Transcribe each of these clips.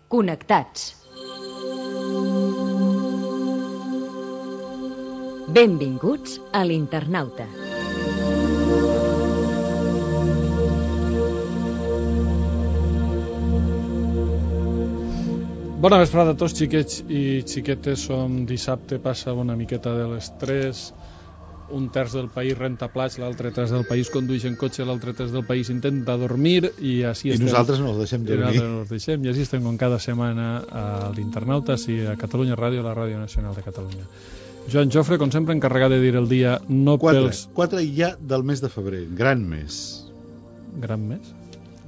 Connectats. Benvinguts a l'Internauta. Bona vesprada a tots, xiquets i xiquetes. Som dissabte, passa una miqueta de les 3. Un terç del país renta plats, l'altre terç del país condueix en cotxe, l'altre terç del país intenta dormir i així estem. I nosaltres no els deixem dormir. I així estem com cada setmana a l'Internauta, a Catalunya Ràdio, la Ràdio Nacional de Catalunya. Joan Jofre, com sempre, encarregat de dir el dia no 4 ja del mes de febrer, gran mes. Gran mes?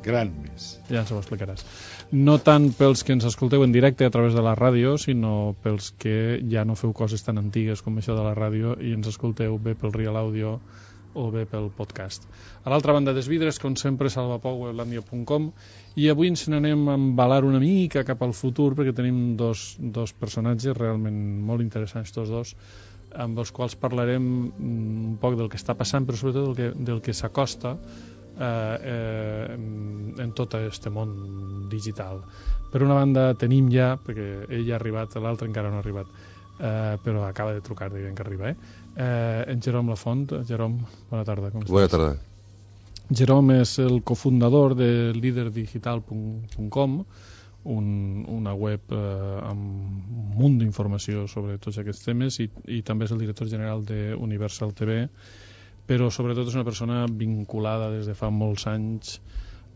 Gran mes. Ja ens ho explicaràs. No tant pels que ens escolteu en directe a través de la ràdio, sinó pels que ja no feu coses tan antigues com això de la ràdio i ens escolteu bé pel Real Audio o bé pel podcast. A l'altra banda dels vidres, com sempre, salvapou.weblandia.com, i avui ens n'anem a embalar una mica cap al futur perquè tenim dos personatges realment molt interessants, tots dos, amb els quals parlarem un poc del que està passant, però sobretot del que s'acosta en tot aquest món digital. Per una banda tenim ja, perquè ell ha arribat, l'altre encara no ha arribat, però acaba de trucar dient que arriba, en Jerome Lafont. Jerome, bona tarda. Com estàs? Bona tarda. Jerome és el cofundador de liderdigital.com, una web amb un munt d'informació sobre tots aquests temes, i també és el director general d'Universal TV, però sobretot és una persona vinculada des de fa molts anys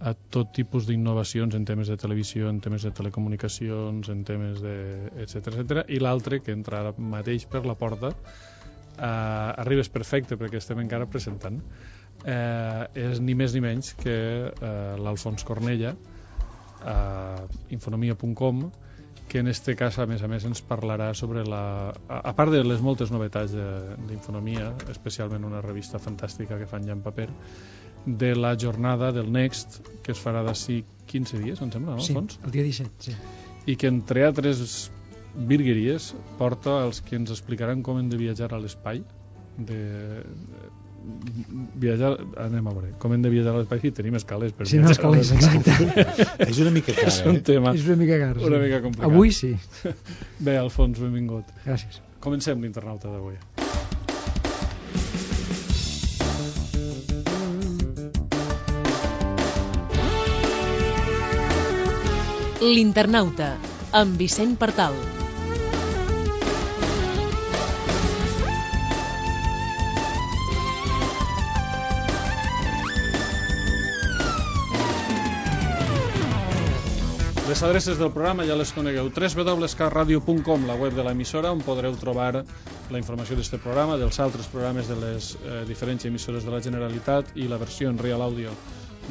a tot tipus d'innovacions en temes de televisió, en temes de telecomunicacions, en temes de etcètera, i l'altre, que entra ara mateix per la porta, arribes perfecte perquè estem encara presentant, és ni més ni menys que l'Alfons Cornella, infonomia.com, que en este cas, a més, ens parlarà sobre a part de les moltes novetats d'Infonomia, especialment una revista fantàstica que fan ja en paper, de la jornada del Next, que es farà d'ací 15 dies, em sembla, no, Alfons? Sí, el dia 17, sí. I que, entre altres virgueries, porta els que ens explicaran com hem de viatjar a l'espai, anem a veure com hem de viatjar a l'espai, si tenim escales per no, escales, exacte. És una mica car, és un tema és una mica car, una mica complicat. Avui sí. Bé, Alfons, benvingut. Gràcies. Comencem l'Internauta d'avui. L'Internauta, amb Vicent Partal. Les adreces del programa ja les conegueu: www.catradio.com, la web de l'emissora, on podreu trobar la informació d'aquest programa, dels altres programes de les diferents emissores de la Generalitat i la versió en Real Audio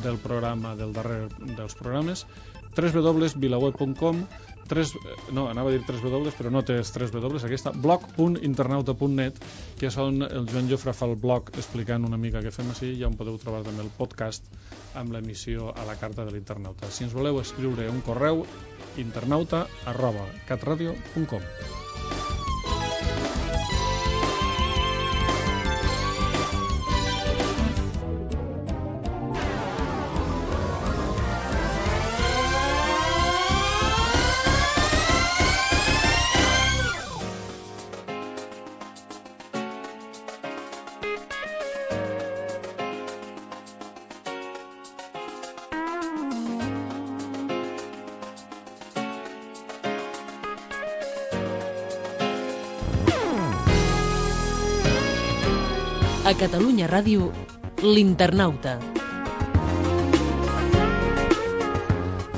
del programa del darrer dels programes. www.vilaweb.com, anava a dir 3W, però no té 3W, aquesta, blog.internauta.net, que és on el Joan Jofre fa el blog explicant una mica què fem així, i on podeu trobar també el podcast amb l'emissió a la carta de l'Internauta. Si ens voleu escriure un correu, internauta@catradio.com. A Catalunya Ràdio, l'Internauta.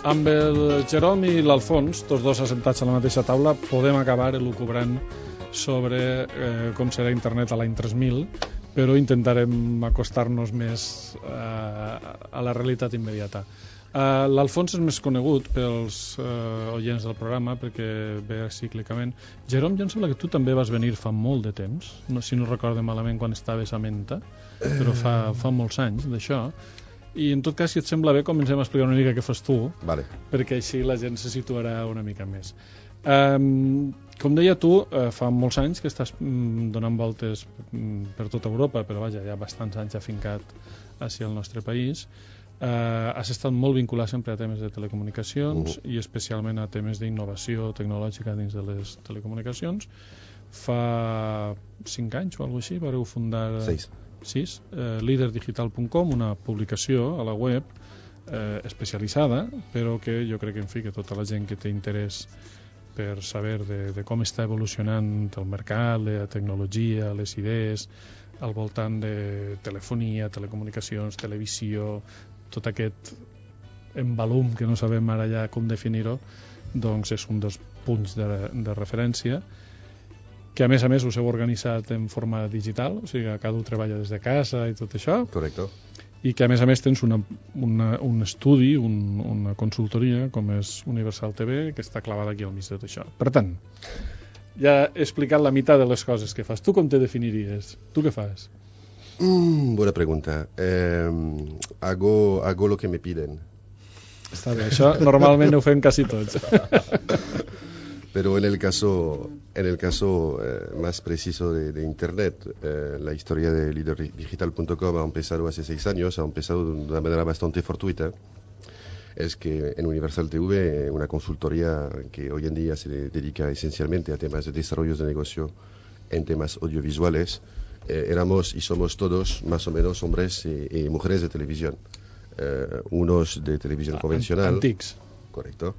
Amb el Jerome i l'Alfons, tots dos assentats a la mateixa taula, podem acabar elucubrant sobre com serà internet a l'any 3000, però intentarem acostar-nos més a la realitat immediata. L'Alfons és més conegut pels oients del programa perquè ve cíclicament. Jerome, jo em sembla que tu també vas venir fa molt de temps, si no recordo malament, quan estaves a Menta, però fa molts anys d'això. I en tot cas, si et sembla bé, comencem a explicar una mica què fas tu, vale, perquè així la gent se situarà una mica més. Com deia tu, fa molts anys que estàs donant voltes per tota Europa, però vaja, ja bastants anys afincat hacia el nostre país. Has estat molt vinculat sempre a temes de telecomunicacions i especialment a temes d'innovació tecnològica dins de les telecomunicacions. Fa 5 anys o alguna cosa així vareu fundar 6 liderdigital.com, una publicació a la web especialitzada, però que jo crec que, en fi, que tota la gent que té interès per saber de com està evolucionant el mercat, la tecnologia, les idees al voltant de telefonia, telecomunicacions, televisió, tot aquest embalum que no sabem ara ja com definir-ho, doncs és un dels punts de referència, que a més us heu organitzat en forma digital, o sigui, cada un treballa des de casa i tot això. Correcte. I que a més tens un estudi, una consultoria com és Universal TV, que està clavada aquí al mig de tot això. Per tant, ja he explicat la meitat de les coses que fas. Tu com te definiries? Tu què fas? Buena pregunta. Hago lo que me piden. Està bé, això normalment ho fem quasi tots. Pero en el caso más preciso de Internet, la historia de liderdigital.com ha empezado hace 6 años, ha empezado de una manera bastante fortuita. Es que en Universal TV, una consultoría que hoy en día se dedica esencialmente a temas de desarrollo de negocio en temas audiovisuales, éramos y somos todos más o menos hombres y mujeres de televisión. Unos de televisión convencional. Antics. Correcto.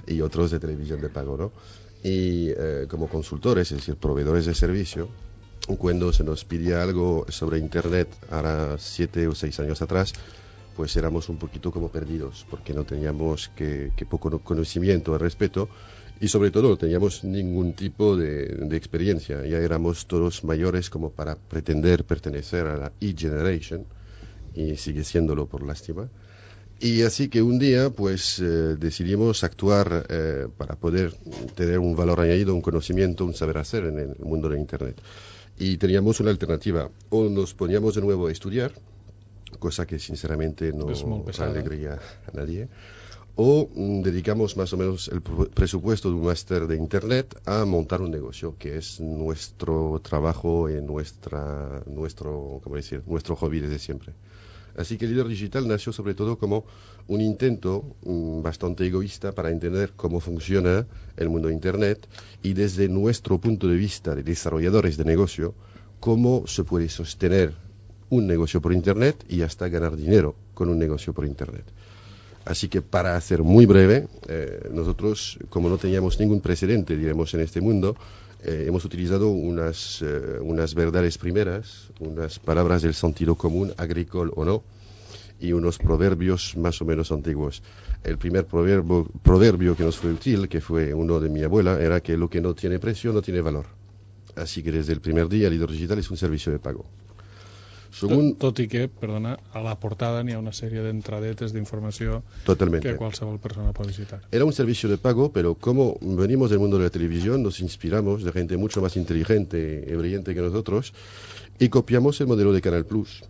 Y otros de televisión de pago, ¿no? Y como consultores, es decir, proveedores de servicio, cuando se nos pedía algo sobre Internet, ahora 7 o 6 años atrás, pues éramos un poquito como perdidos, porque no teníamos que poco conocimiento al respecto, y sobre todo no teníamos ningún tipo de experiencia. Ya éramos todos mayores como para pretender pertenecer a la E-Generation, y sigue siéndolo por lástima. Y así que un día pues decidimos actuar para poder tener un valor añadido, un conocimiento, un saber hacer en el mundo de Internet. Y teníamos una alternativa: o nos poníamos de nuevo a estudiar, cosa que sinceramente no alegría a nadie, o dedicamos más o menos el presupuesto de un máster de Internet a montar un negocio, que es nuestro trabajo y nuestro hobby desde siempre. Así que Líder Digital nació sobre todo como un intento bastante egoísta para entender cómo funciona el mundo de Internet y desde nuestro punto de vista de desarrolladores de negocio, cómo se puede sostener un negocio por Internet y hasta ganar dinero con un negocio por Internet. Así que para hacer muy breve, nosotros, como no teníamos ningún precedente, diremos, en este mundo, hemos utilizado unas verdades primeras, unas palabras del sentido común, agrícola o no, y unos proverbios más o menos antiguos. El primer proverbio que nos fue útil, que fue uno de mi abuela, era que lo que no tiene precio no tiene valor. Así que desde el primer día, Líder Digital es un servicio de pago. Tot i que, perdona, a la portada n'hi ha una sèrie d'entradetes d'informació que qualsevol persona pot visitar. Era un servicio de pago, pero como venimos del mundo de la televisión, nos inspiramos de gente mucho más inteligente y brillante que nosotros y copiamos el modelo de Canal Plus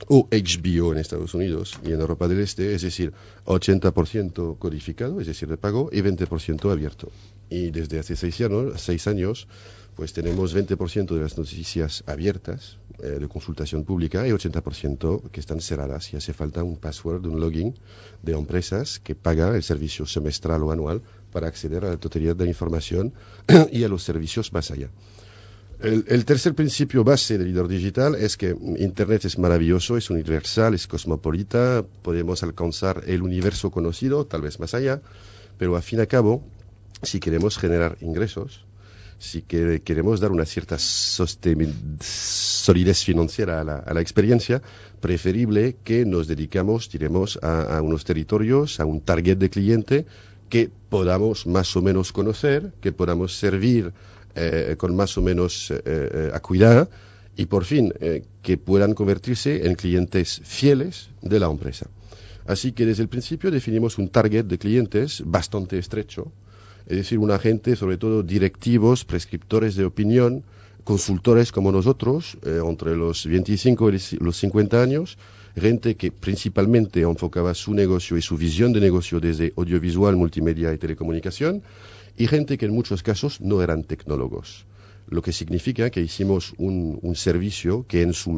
o HBO en Estados Unidos y en Europa del Este, es decir, 80% codificado, es decir, de pago, y 20% abierto. Y desde hace 6 años, pues tenemos 20% de las noticias abiertas de consultación pública y 80% que están cerradas, y hace falta un password, un login de empresas que paga el servicio semestral o anual para acceder a la totalidad de la información y a los servicios más allá. El tercer principio base del Líder Digital es que Internet es maravilloso, es universal, es cosmopolita, podemos alcanzar el universo conocido, tal vez más allá, pero al fin y al cabo, si queremos generar ingresos, si queremos dar una cierta solidez financiera a la experiencia, preferible que nos dedicamos, diremos, a unos territorios, a un target de cliente que podamos más o menos conocer, que podamos servir con más o menos acuidad y por fin que puedan convertirse en clientes fieles de la empresa. Así que desde el principio definimos un target de clientes bastante estrecho, es decir, una gente, sobre todo directivos, prescriptores de opinión, consultores como nosotros, entre los 25 y los 50 años, gente que principalmente enfocaba su negocio y su visión de negocio desde audiovisual, multimedia y telecomunicación, y gente que en muchos casos no eran tecnólogos. lo que significa que hicimos un servicio que en su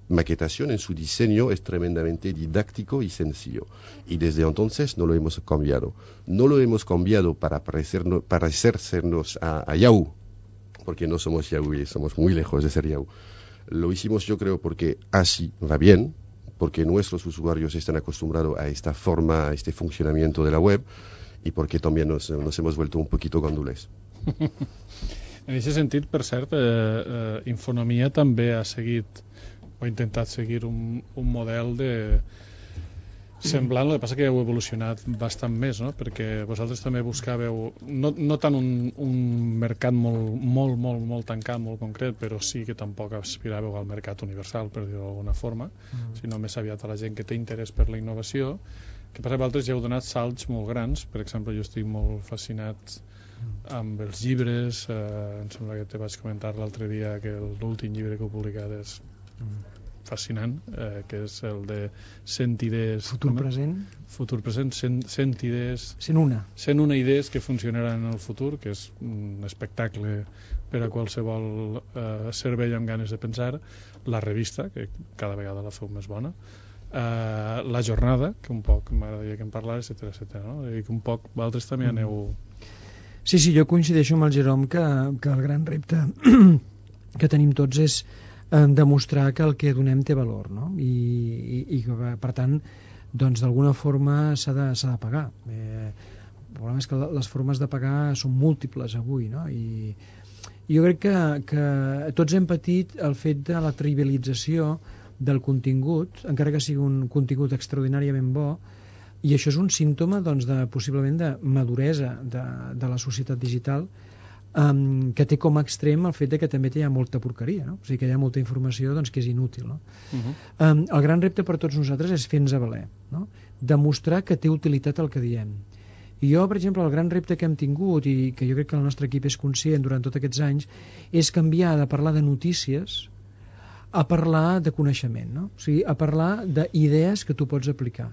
maquetación, en su diseño, es tremendamente didáctico y sencillo. Y desde entonces no lo hemos cambiado. No lo hemos cambiado para parecernos a Yahoo, porque no somos Yahoo y somos muy lejos de ser Yahoo. Lo hicimos, yo creo, porque así va bien, porque nuestros usuarios están acostumbrados a esta forma, a este funcionamiento de la web, y porque también nos hemos vuelto un poquito gandules. En aquest sentit, per cert, Infonomia també ha seguit o ha intentat seguir un model semblant, el que passa que heu evolucionat bastant més, no? Perquè vosaltres també buscàveu no tant un mercat molt tancat, molt concret, però sí que tampoc aspiràveu al mercat universal, per dir-ho d'alguna forma, sinó més aviat a la gent que té interès per la innovació. Que per vosaltres ja heu donat salts molt grans. Per exemple, jo estic molt fascinat amb els llibres, em sembla que te vaig comentar l'altre dia que l'últim llibre que heu publicat és fascinant, que és el de 100 idees... Futur present, 100 idees... 101 idees que funcionaran en el futur, que és un espectacle per a qualsevol cervell amb ganes de pensar. La revista, que cada vegada la feu més bona. La jornada, que un poc m'agradaria que en parlàs, etcètera, no? I que un poc vosaltres també aneu... Sí, jo coincideixo amb el Jerome que el gran repte que tenim tots és demostrar que el que donem té valor, no? I que, per tant, doncs d'alguna forma s'ha de pagar. El problema és que les formes de pagar són múltiples avui, no? I jo crec que tots hem patit el fet de la trivialització del contingut, encara que sigui un contingut extraordinàriament bo, i això és un símptoma, doncs, possiblement de maduresa de la societat digital, que té com a extrem el fet de que també hi ha molta porqueria, no? O sigui que hi ha molta informació, doncs, que és inútil, no? El gran repte per tots nosaltres és fer-nos valer, no? Demostrar que té utilitat el que diem. I jo, per exemple, el gran repte que hem tingut, i que jo crec que el nostre equip és conscient durant tots aquests anys, és canviar de parlar de notícies a parlar de coneixement, no? O sigui, a parlar d'idees que tu pots aplicar.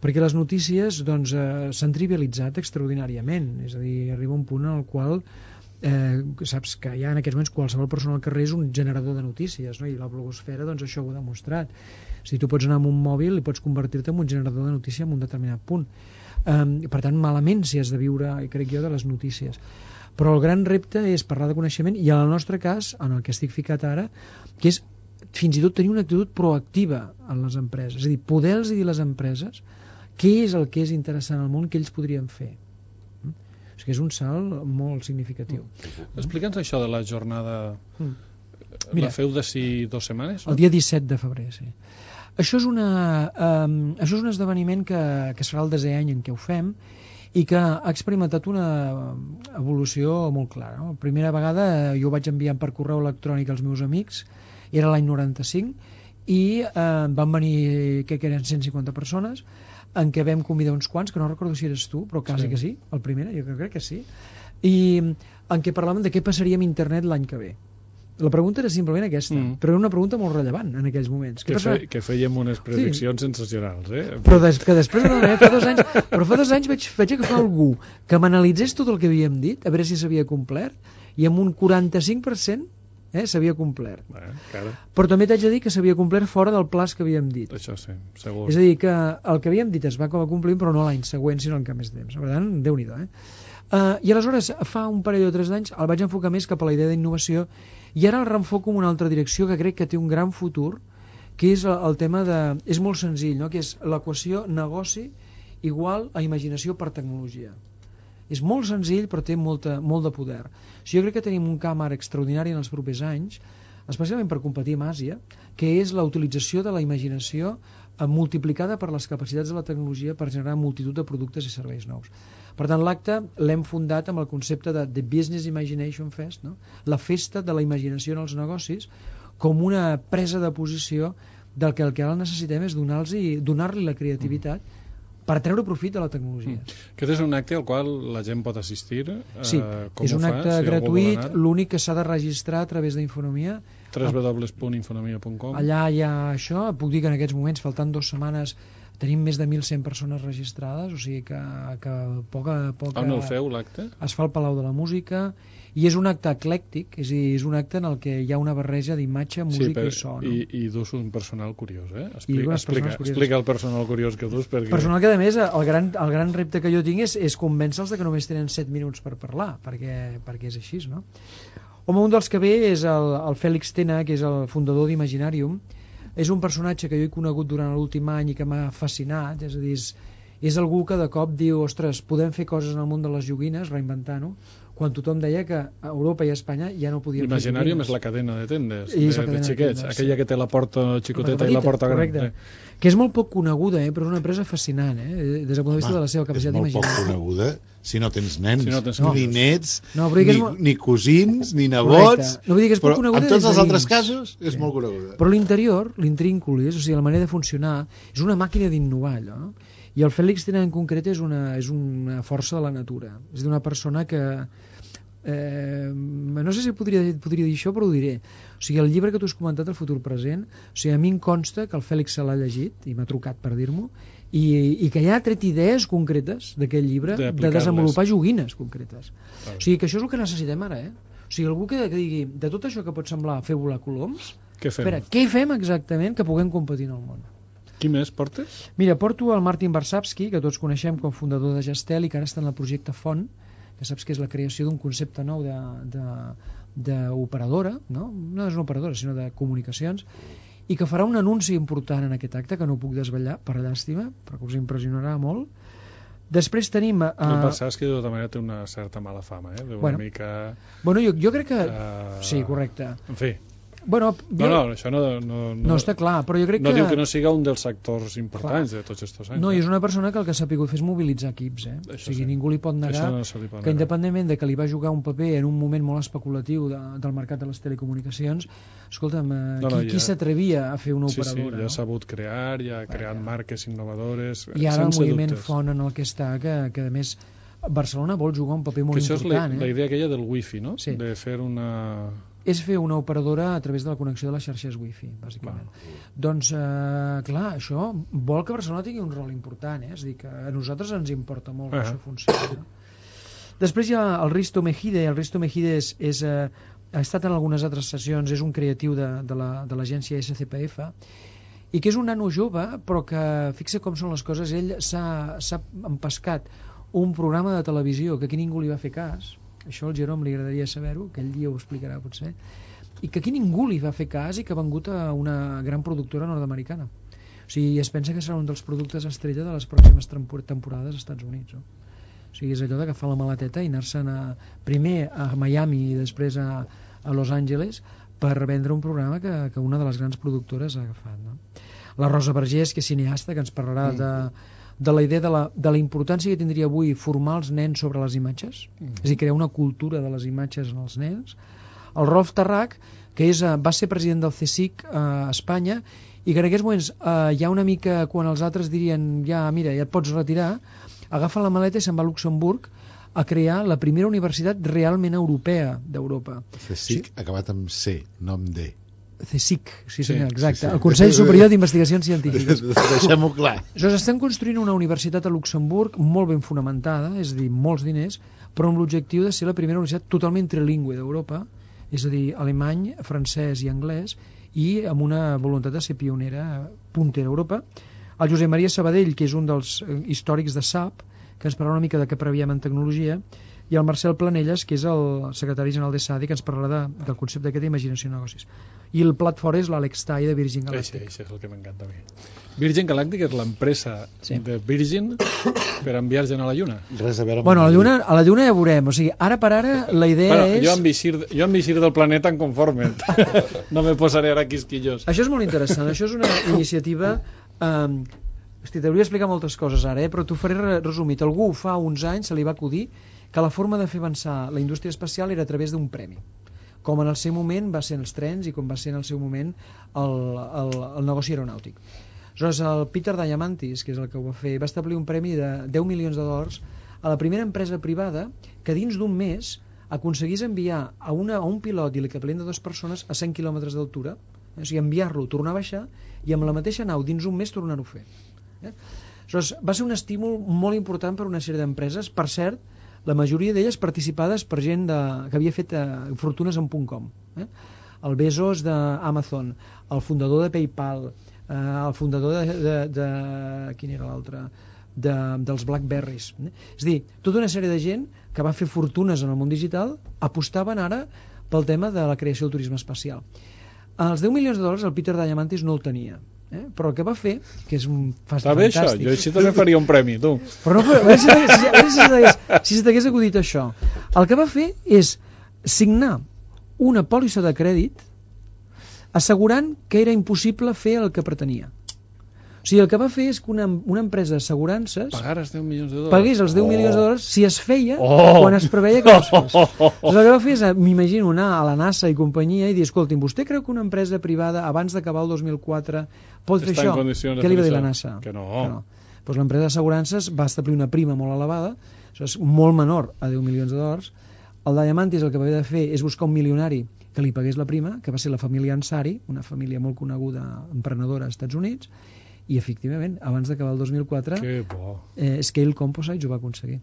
Perquè les notícies, doncs, s'han trivialitzat extraordinàriament. És a dir, arriba un punt en el qual saps que ja en aquests moments qualsevol persona al carrer és un generador de notícies, no? I la blogosfera, doncs, això ho ha demostrat. Si tu pots anar amb un mòbil i pots convertir-te en un generador de notícia en un determinat punt. Per tant, malament si has de viure, crec jo, de les notícies. Però el gran repte és parlar de coneixement, i en el nostre cas, en el que estic ficat ara, que és fins i tot tenir una actitud proactiva en les empreses. És a dir, poder-los dir a les empreses què és el que és interessant al món que ells podrien fer. O sigui, és un salt molt significatiu. Explica'ns això de la jornada. Mira, la feu d'ací 2 setmanes? El dia 17 de febrer, sí. Això és un esdeveniment que es farà el 10è any en què ho fem i que ha experimentat una evolució molt clara, no? La primera vegada jo ho vaig enviar per correu electrònic als meus amics, era l'any 95, i van venir, crec que eren 150 persones, en què vam convidar uns quants, que no recordo si eres tu, però quasi que sí, el primer, jo crec que sí, i en què parlàvem de què passaria amb internet l'any que ve. La pregunta era simplement aquesta, però era una pregunta molt rellevant en aquells moments. Que fèiem unes prediccions sensacionals, Però que després, fa 2 anys vaig agafar algú que m'analitzés tot el que havíem dit, a veure si s'havia complert, i amb un 45% s'havia complert. Però també t'haig de dir que s'havia complert fora del plaç que havíem dit. Això sí, segur. És a dir, que el que havíem dit es va complir, però no l'any següent, sinó en cap més temps. Per tant, Déu-n'hi-do, I aleshores, fa un parell o 3 d'anys, el vaig enfocar més cap a la idea d'innovació, i ara el reenfoco en una altra direcció que crec que té un gran futur, que és el tema de... És molt senzill, no? Que és l'equació negoci igual a imaginació per tecnologia. És molt senzill, però té molt de poder. Jo crec que tenim un camp ara extraordinari en els propers anys, especialment per competir amb Àsia, que és la utilització de la imaginació multiplicada per les capacitats de la tecnologia per generar multitud de productes i serveis nous. Per tant, l'acte l'hem fundat amb el concepte de The Business Imagination Fest, no? La festa de la imaginació en els negocis, com una presa de posició del que el que ara necessitem és donar-li la creativitat per treure profit de la tecnologia. Aquest és un acte al qual la gent pot assistir? Sí, és un acte gratuït, l'únic que s'ha de registrar a través d'Infonomia. www.infonomia.com. Allà hi ha això, puc dir que en aquests moments, faltant 2 setmanes, tenim més de 1.100 persones registrades, o sigui que poca... On el feu, l'acte? Es fa al Palau de la Música, i és un acte eclèctic, és a dir, és un acte en el que hi ha una barreja d'imatge, música i so. No? I dus un personal curiós, eh? Explica el personal curiós que dus. Perquè... Personal que, a més, el gran repte que jo tinc és convèncer-los que només tenen 7 minuts per parlar, perquè és així, no? Home, un dels que ve és el Fèlix Tena, que és el fundador d'Imaginarium. És un personatge que jo he conegut durant l'últim any i que m'ha fascinat, és a dir, és algú que de cop diu, ostres, podem fer coses en el món de les joguines, reinventant-ho, quan tothom deia que a Europa i a Espanya ja no podien fer joguines. Imaginarium és la cadena de tendes, de xiquets, aquella que té la porta xicoteta i la porta gran. Que és molt poc coneguda, però és una empresa fascinant, des del punt de vista de la seva capacitat d'imaginar. És molt poc coneguda si no tens nens, ni nets, no, ni cosins, ni nebots. No vull dir que és poc coneguda. En tots els altres casos és molt coneguda. Però l'interior, l'intrínculis, o sigui, la manera de funcionar, és una màquina d'innovar, allò, no? I el Fèlix Tena en concret és una força de la natura. És d'una persona que... no sé si podria dir això, però ho diré. O sigui, el llibre que tu has comentat, El futur present, o sigui, a mi em consta que el Fèlix se l'ha llegit i m'ha trucat per dir-m'ho, i que ja ha tret idees concretes d'aquest llibre de desenvolupar joguines concretes. O sigui, que això és el que necessitem ara, O sigui, algú que digui, de tot això que pot semblar fer volar coloms, què fem exactament que puguem competir en el món? Qui més portes? Mira, porto el Martin Varsavsky, que tots coneixem com fundador de Gestel i que ara està en el projecte Font, que saps que és la creació d'un concepte nou d'operadora, no és una operadora, sinó de comunicacions, i que farà un anunci important en aquest acte, que no puc desvetllar, per llàstima, però que us impressionarà molt. Després tenim... El Varsavsky de tota manera té una certa mala fama, mica... Bueno, jo crec que... Sí, correcte. En fi... Bueno, això no està clar, però jo crec que... No diu que no siga un dels actors importants de tots aquests anys. No, i és una persona que el que s'ha pogut fer és mobilitzar equips, O sigui, ningú li pot negar que independentment de que li va jugar un paper en un moment molt especulatiu del mercat de les telecomunicacions, escolta'm, qui s'atrevia a fer una operadora? Sí, ja ha sabut crear, ja ha creat marques innovadores, i ara el moviment Font en el que està, que a més Barcelona vol jugar un paper molt important. Això és la idea aquella del wifi, no? Sí. De fer una... És fer una operadora a través de la connexió de les xarxes wifi, bàsicament. Doncs, clar, això vol que Barcelona tingui un rol important, És a dir, que a nosaltres ens importa molt que això funcioni. Després hi ha el Risto Mejide. El Risto Mejide ha estat en algunes altres sessions, és un creatiu de l'agència SCPF, i que és un nano jove, però que, fixa com són les coses, ell s'ha empescat un programa de televisió que aquí ningú li va fer cas. Això al Jerome li agradaria saber-ho, que ell dia ho explicarà potser, i que aquí ningú li va fer cas i que ha vengut a una gran productora nord-americana. O sigui, es pensa que serà un dels productes estrella de les pròximes temporades als Estats Units. O sigui, és allò d'agafar la maleteta i anar-se'n primer a Miami i després a Los Angeles per vendre un programa que una de les grans productores ha agafat. No? La Rosa Vergés, que és cineasta, que ens parlarà de la idea de la importància que tindria avui formar els nens sobre les imatges, és a dir, crear una cultura de les imatges en els nens. El Rolf Tarrach, que va ser president del CSIC a Espanya, i que en aquests moments hi ha una mica, quan els altres dirien ja et pots retirar, agafa la maleta i se'n va a Luxemburg a crear la primera universitat realment europea d'Europa. CSIC acabat amb C, no amb D. CSIC, sí senyor, exacte. El Consell Superior d'Investigacions Científiques. Deixem-ho clar. Estan construint una universitat a Luxemburg molt ben fonamentada, és a dir, molts diners, però amb l'objectiu de ser la primera universitat totalment trilingüe d'Europa, és a dir, alemany, francès i anglès, i amb una voluntat de ser pionera, puntera a Europa. El Josep Maria Sabadell, que és un dels històrics de SAP, que ens parlarà una mica de què previem en tecnologia, i el Marcel Planelles, que és el secretari general de SADI, que ens parlarà del concepte aquest d'imaginació de negocis. I el plat fort és l'Àlex Tai de Virgin Galactic. Això és el que m'encanta a mi. Virgin Galactic és l'empresa de Virgin per enviar gent a la Lluna. Res a veure amb a la Lluna ja veurem. O sigui, ara per ara la idea és... Jo amb eixir del planeta em conforme. No me posaré ara quisquillos. Això és molt interessant. Això és una iniciativa... Hosti, t'hauria d'explicar moltes coses ara, però t'ho faré resumit. Algú fa uns anys se li va acudir que la forma de fer avançar la indústria espacial era a través d'un premi, com en el seu moment va ser els trens i com va ser en el seu moment el negoci aeronàutic. Aleshores, el Peter Diamandis, que és el que ho va fer, va establir un premi de $10 milions a la primera empresa privada que dins d'un mes aconseguís enviar a un pilot i l'equipament de 2 persones a 100 quilòmetres d'altura, o sigui, enviar-lo, tornar a baixar i amb la mateixa nau dins un mes tornar-ho a fer. Aleshores, va ser un estímul molt important per una sèrie d'empreses, per cert, la majoria d'elles participades per gent que havia fet fortunes en .com. El Bezos d'Amazon, el fundador de PayPal, el fundador de quin era l'altre? Dels Blackberries. És a dir, tota una sèrie de gent que va fer fortunes en el món digital apostaven ara pel tema de la creació del turisme espacial. Els $10 milions el Peter Diamandis no el tenia, però el que va fer, que és un està bé fantàstic... això, jo així també faria un premi, tu. Però no, si se t'hagués acudit això, el que va fer és signar una pòlissa de crèdit assegurant que era impossible fer el que pretenia. O sigui, el que va fer és que una empresa d'assegurances pagués els $10 milions. Pagués els $10 milions si es feia quan es preveia que no es fes. El que va fer és, m'imagino, anar a la NASA i companyia i dir, escolti'm, vostè creu que una empresa privada abans d'acabar el 2004 pot fer això? Què li va dir la NASA? Que no. Doncs l'empresa d'assegurances va establir una prima molt elevada, això és molt menor a $10 milions. El Diamandis el que va haver de fer és buscar un milionari que li pagués la prima, que va ser la família Ansari, una família molt coneguda emprenedora als Estats Units, i efectivament, abans d'acabar el 2004 Scale Composites ho va aconseguir.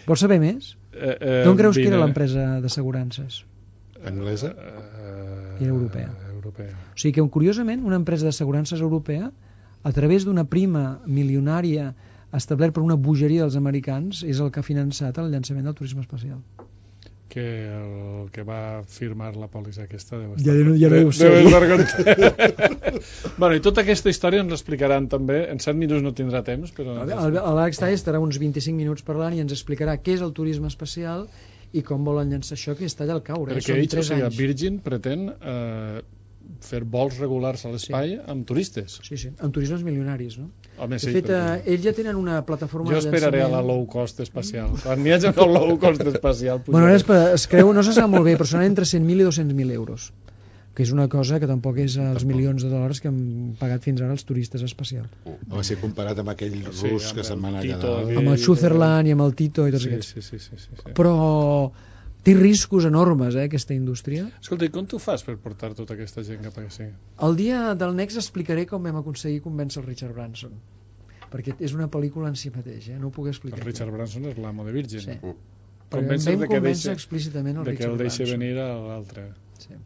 Vols saber més? D'on creus que era l'empresa d'assegurances? Anglesa? Era europea. O sigui que, curiosament, una empresa d'assegurances europea, a través d'una prima milionària establert per una bogeria dels americans, és el que ha finançat el llançament del turisme espacial. Que el que va firmar la pòlissa aquesta deu bueno, i tota aquesta història ens l'explicaran també en 7 minuts no tindrà temps però... L'Àlex Tall estarà uns 25 minuts parlant i ens explicarà què és el turisme espacial i com volen llançar això, que està allà al caure. Perquè ells, o sigui, Virgin pretén fer vols regulars a l'espai amb turistes. Sí, amb turismes milionaris, no? Home, de fet, ells ja tenen una plataforma jo esperaré a la low cost espacial. Quan n'hi hagi el low cost espacial... Bueno, es creu, no se sap molt bé, però seran entre 100.000 i 200.000 euros, que és una cosa que tampoc és els milions de dòlars que han pagat fins ara els turistes espacials. Va ser comparat amb aquell rus que se'n va anar a quedar. Amb el Sutherland i amb el Tito i tots aquests. Sí. Però té riscos enormes, aquesta indústria. Escolta, i com tu fas per portar tota aquesta gent cap aquí? El dia del Next explicaré com vam aconseguir convèncer el Richard Branson, perquè és una pel·lícula en si mateix, no ho puc explicar. El Richard Branson és l'amo de Virgin. Sí. Vam convèncer explícitament el Richard Branson. De que el deixi venir a l'altre. Sí.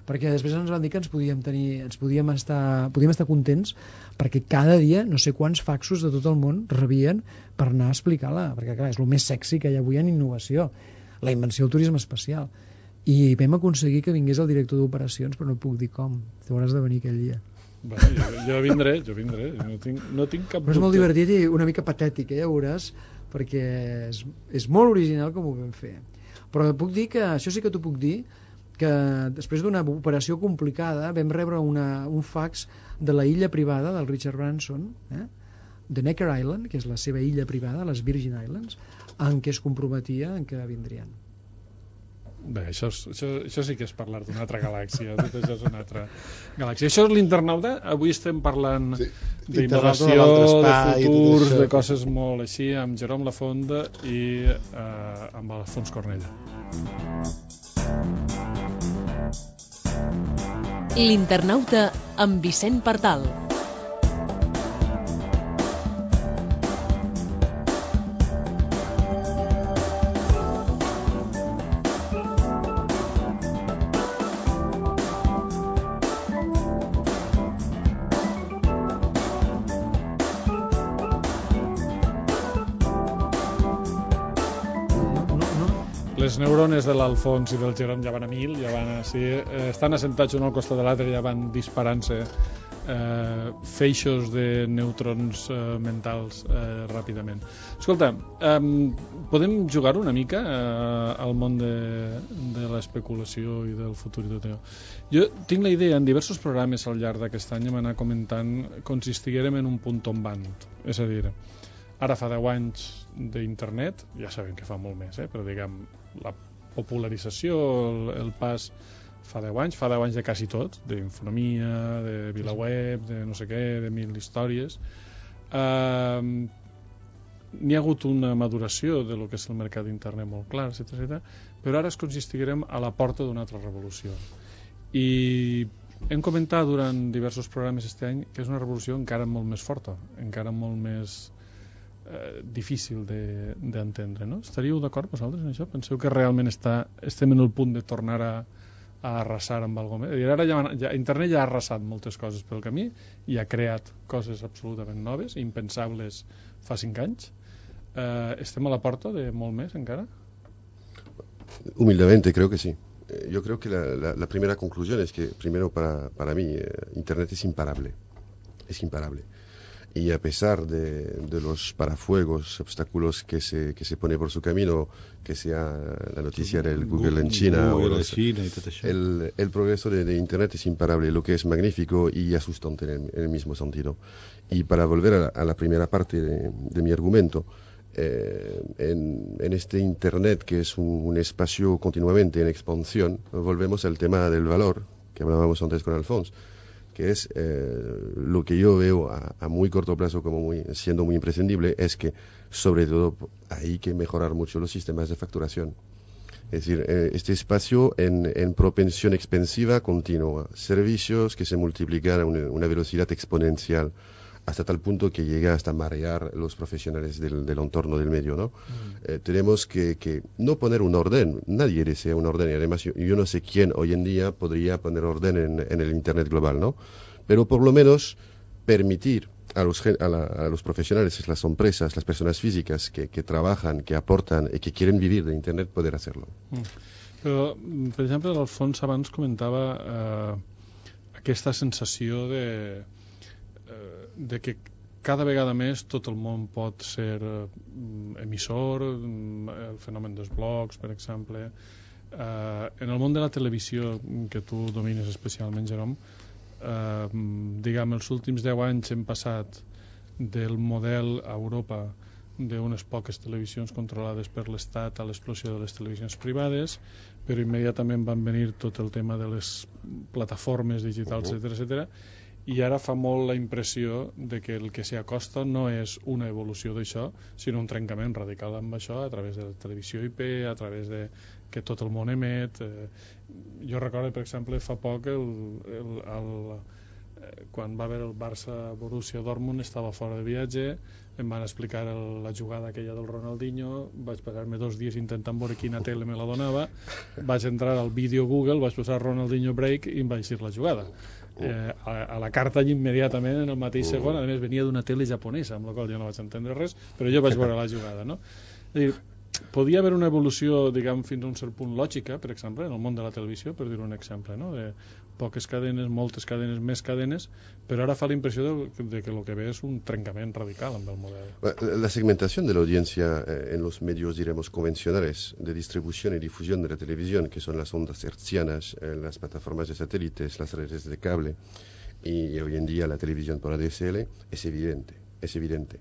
Perquè després ens van dir que podíem estar contents perquè cada dia no sé quants faxos de tot el món rebien per anar a explicar-la, perquè clar, és el més sexy que hi ha avui en innovació, la invenció del turisme espacial, i vam aconseguir que vingués el director d'operacions, però no puc dir com, tu hauràs de venir aquell dia. Bueno, jo vindré, no tinc cap dubte. Però és molt divertit i una mica patètic, ja veuràs, perquè és molt original com ho vam fer. Però puc dir que, això sí que t'ho puc dir, que després d'una operació complicada vam rebre un fax de la illa privada del Richard Branson, de Necker Island, que és la seva illa privada, les Virgin Islands, en què es comprometia en què vindrien. Bé, això sí que és parlar d'una altra galàxia, tot això és una altra galàxia. Això és l'internauta, avui estem parlant d'innovació, de futurs, de coses molt així, amb Jerome Lafonda i amb Alfons Cornellà. L'internauta amb Vicent Partal. Les neurones de l'Alfons i del Jerome ja van a 1000, ja van estan assentats un al costat de l'altre, ja van disparant-se feixos de neutrons mentals ràpidament. Escolta, podem jugar una mica al món de l'especulació i del futur i tot allò. Jo tinc la idea, en diversos programes al llarg d'aquest any hem anat comentant com si estiguérem en un punt tombant, és a dir, ara fa 10 anys d'internet, ja sabem que fa molt més, però diguem, la popularització, el pas fa 10 anys de quasi tot, d'infonomia, de VilaWeb, de no sé què, de 1000 històries. N'hi ha hagut una maduració de lo que és el mercat d'internet molt clar, etc. Però ara és com si estiguérem a la porta d'una altra revolució. I Hem comentat durant diversos programes aquest any que és una revolució encara molt més forta, encara molt més difícil d'entendre, no? Estaríeu d'acord vosaltres en això? Penseu que realment estem en el punt de tornar a arrasar amb alguna cosa? Ara internet ja ha arrasat moltes coses pel camí i ha creat coses absolutament noves, impensables fa 5 anys. ¿Estem a la porta de molt més encara? Humildemente creo que sí. Yo creo que la primera conclusión es que, primero, para mí, Internet es imparable. Es imparable. Y a pesar de los parafuegos, obstáculos que se pone por su camino, que sea la noticia del Google en China, el progreso de Internet es imparable, lo que es magnífico y asustante en el mismo sentido. Y para volver a la primera parte de mi argumento, en este Internet, que es un espacio continuamente en expansión, volvemos al tema del valor, que hablábamos antes con Alfonso, que es lo que yo veo a muy corto plazo como siendo muy imprescindible, es que sobre todo hay que mejorar mucho los sistemas de facturación. Es decir, este espacio en propensión expansiva continua, servicios que se multiplican a una velocidad exponencial, hasta tal punto que llega hasta marear los profesionales del entorno del medio, ¿no? Tenemos que no poner un orden, nadie desea un orden, y además yo no sé quién hoy en día podría poner orden en el Internet global, ¿no? Pero por lo menos permitir a los profesionales, las empresas, las personas físicas que trabajan, que aportan y que quieren vivir de Internet, poder hacerlo. Però, per exemple, l'Alfons abans comentava aquesta sensació de que cada vegada més tot el món pot ser emissor, el fenomen dels blogs, per exemple. En el món de la televisió, que tu domines especialment, Jerome, diguem, els últims 10 anys hem passat del model a Europa d'unes poques televisions controlades per l'Estat a l'explosió de les televisions privades, però immediatament van venir tot el tema de les plataformes digitals, etc. I ara fa molt la impressió de que el que s'hi acosta no és una evolució d'això, sinó un trencament radical amb això a través de la televisió IP, a través de que tot el món emet. Jo recordo, per exemple, fa poc quan va haver el Barça-Borussia Dortmund estava fora de viatge, em van explicar la jugada aquella del Ronaldinho, vaig passar-me 2 dies intentant veure quina tele me la donava, vaig entrar al vídeo Google, vaig posar Ronaldinho break i em vaig dir la jugada. A la carta immediatament en el mateix segon, a més venia d'una tele japonesa, amb la qual jo no vaig entendre res, però jo vaig veure la jugada, no? És a dir, podia haver una evolució, diguem, fins a un cert punt lògica, per exemple, en el món de la televisió, per dir un exemple, no? De poques cadenes, moltes cadenes, més cadenes, però ara fa la impressió de que el que ve és un trencament radical amb el model. La segmentación de la audiencia en los medios, diremos, convencionales de distribución y difusión de la televisión, que son las ondas hertzianas, las plataformas de satélites, las redes de cable y hoy en día la televisión por ADSL, es evidente.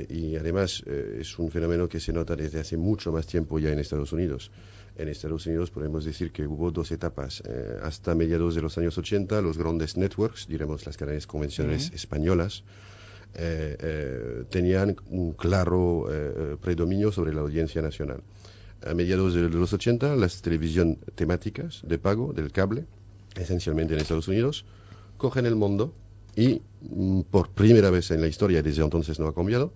Y además es un fenómeno que se nota desde hace mucho más tiempo ya en Estados Unidos. En Estados Unidos podemos decir que hubo 2 etapas. Hasta mediados de los años 80, los grandes networks, diremos las cadenas convencionales españolas, tenían un claro predominio sobre la audiencia nacional. A mediados de los 80, las televisiones temáticas de pago del cable, esencialmente en Estados Unidos, cogen el mundo y por primera vez en la historia, desde entonces no ha cambiado,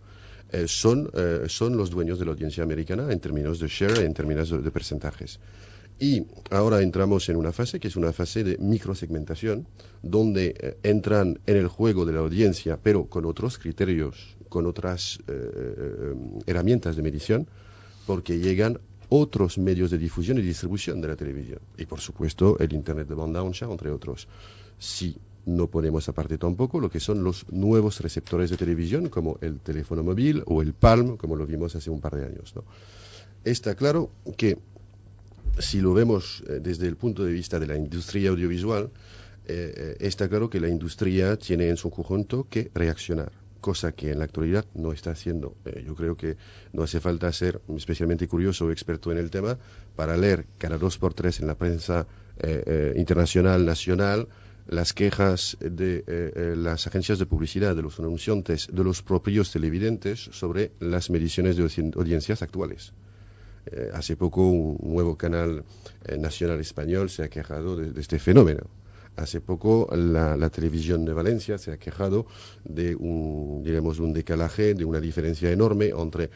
son los dueños de la audiencia americana en términos de share, en términos de porcentajes. Y ahora entramos en una fase que es una fase de microsegmentación, donde entran en el juego de la audiencia, pero con otros criterios, con otras herramientas de medición, porque llegan otros medios de difusión y distribución de la televisión. Y por supuesto el Internet de banda ancha, entre otros. Si no ponemos aparte tampoco lo que son los nuevos receptores de televisión, como el teléfono móvil o el Palm, como lo vimos hace un par de años, ¿no? Está claro que, si lo vemos desde el punto de vista de la industria audiovisual, está claro que la industria tiene en su conjunto que reaccionar, cosa que en la actualidad no está haciendo. Yo creo que no hace falta ser especialmente curioso o experto en el tema para leer cada 2 por 3 en la prensa internacional, nacional, las quejas de las agencias de publicidad, de los anunciantes, de los propios televidentes sobre las mediciones de audiencias actuales. Hace poco un nuevo canal nacional español se ha quejado de este fenómeno. Hace poco la televisión de Valencia se ha quejado de un decalaje, de una diferencia enorme entre